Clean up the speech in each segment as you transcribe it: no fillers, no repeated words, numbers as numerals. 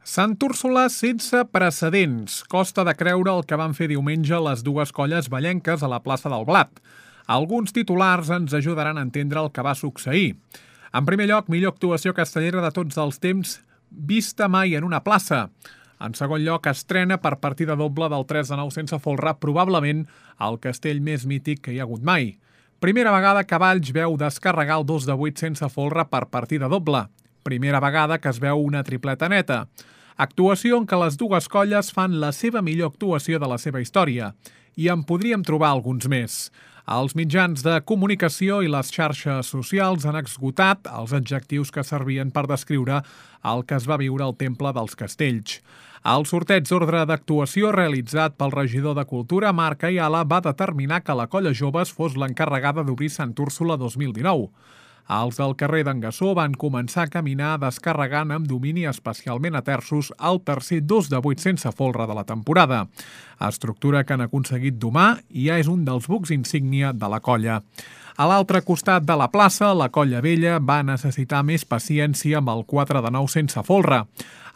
Sant Úrsula sense precedents. Costa de creure el que van fer diumenge les dues colles vallenques a la plaça del Blat. Alguns titulars ens ajudaran a entendre el que va succeir. En primer lloc, millor actuació castellera de tots els temps vista mai en una plaça. En segon lloc, estrena per partida doble del 3-9 sense folre, probablement el castell més mític que hi ha hagut mai. Primera vegada que Valls veu descarregar el 2-8 sense folre per partida doble. Primera vegada que es veu una tripleta neta. Actuació en què les dues colles fan la seva millor actuació de la seva història. I en podríem trobar alguns més. Els mitjans de comunicació i les xarxes socials han esgotat els adjectius que servien per descriure el que es va viure al Temple dels Castells. El sorteig d'ordre d'actuació realitzat pel regidor de Cultura, Marc Ayala, va determinar que la Colla Joves fos l'encarregada d'obrir Sant Úrsula 2019. Els del carrer d'en Gassó van començar a caminar descarregant amb domini especialment a terços el tercer 2-8 sense folre de la temporada. Estructura que han aconseguit domar i ja és un dels bucs insígnia de la colla. A l'altre costat de la plaça, la Colla Vella va necessitar més paciència amb el 4-9 sense folre.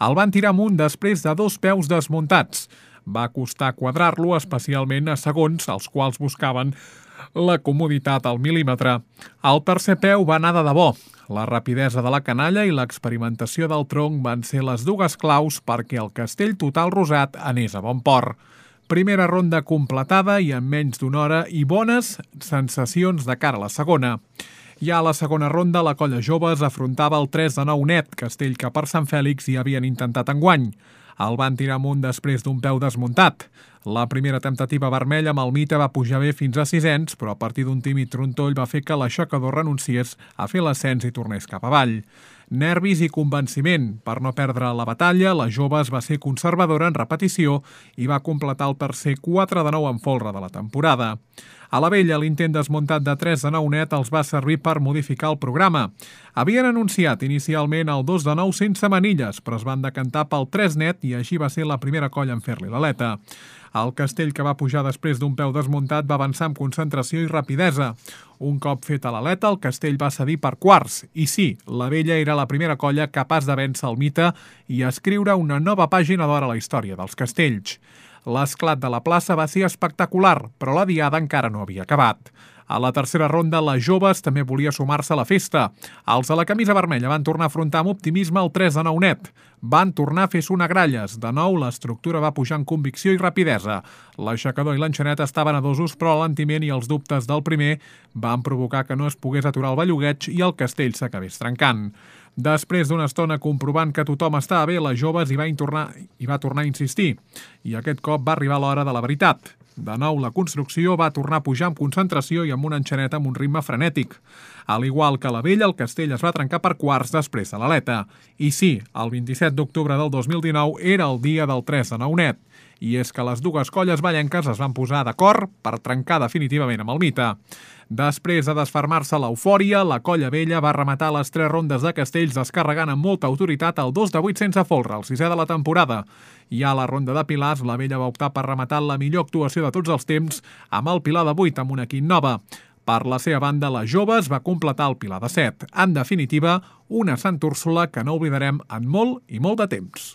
El van tirar amunt després de 2 peus desmuntats. Va costar quadrar-lo, especialment a segons, els quals buscaven la comoditat al mil·límetre. El tercer peu va anar de debò. La rapidesa de la canalla i l'experimentació del tronc van ser les dues claus perquè el castell total rosat anés a bon port. Primera ronda completada i en menys d'una hora i bones sensacions de cara a la segona. Ja a la segona ronda, la Colla Joves afrontava el 3-9 net, castell que per Sant Fèlix hi havien intentat enguany. El van tirar amunt després d'un peu desmuntat. La primera temptativa vermella amb el Mite va pujar bé fins a 6ens, però a partir d'un tímid trontoll va fer que l'aixecador renunciés a fer l'ascens i tornés cap avall. Nervis i convenciment. Per no perdre la batalla, la Joves va ser conservadora en repetició i va completar el tercer 4-9 en folre de la temporada. A la Vella, l'intent desmuntat de 3-9 net els va servir per modificar el programa. Havien anunciat inicialment el 2-9 sense manilles, però es van decantar pel 3 net i així va ser la primera colla en fer-li l'aleta. El castell que va pujar després d'un peu desmuntat va avançar amb concentració i rapidesa. Un cop feta l'aleta, el castell va cedir per quarts. I sí, la Vella era la primera colla capaç de vèncer el Mite i escriure una nova pàgina d'or a la història dels castells. L'esclat de la plaça va ser espectacular, però la diada encara no havia acabat. A la tercera ronda, les Joves també volia sumar-se a la festa. Els de la camisa vermella van tornar a afrontar amb optimisme el 3-9 net. Van tornar a fer sonagralles. De nou, l'estructura va pujar en convicció i rapidesa. L'aixecador i l'enxanet estaven adosos, però l'alentiment i els dubtes del primer van provocar que no es pogués aturar el bellugueig i el castell s'acabés trencant. Després d'una estona comprovant que tothom estava bé, les Joves hi va tornar a insistir. I aquest cop va arribar l'hora de la veritat. De nou, la construcció va tornar a pujar amb concentració i amb una enxaneta amb un ritme frenètic. Al igual que la Vella, el castell es va trencar per quarts després de l'aleta. I sí, el 27 d'octubre del 2019 era el dia del 3-9 net. I és que les dues colles vallenques es van posar d'acord per trencar definitivament amb el Mite. Després de desfermar-se l'eufòria, la Colla Vella va rematar les 3 rondes de castells descarregant amb molta autoritat el 2-8 sense folre, el 6è de la temporada. I a la ronda de pilars, la Vella va optar per rematar la millor actuació de tots els temps amb el pilar de 8 amb una quint nova. Per la seva banda, les Joves va completar el pilar de 7. En definitiva, una Sant Úrsula que no oblidarem en molt i molt de temps.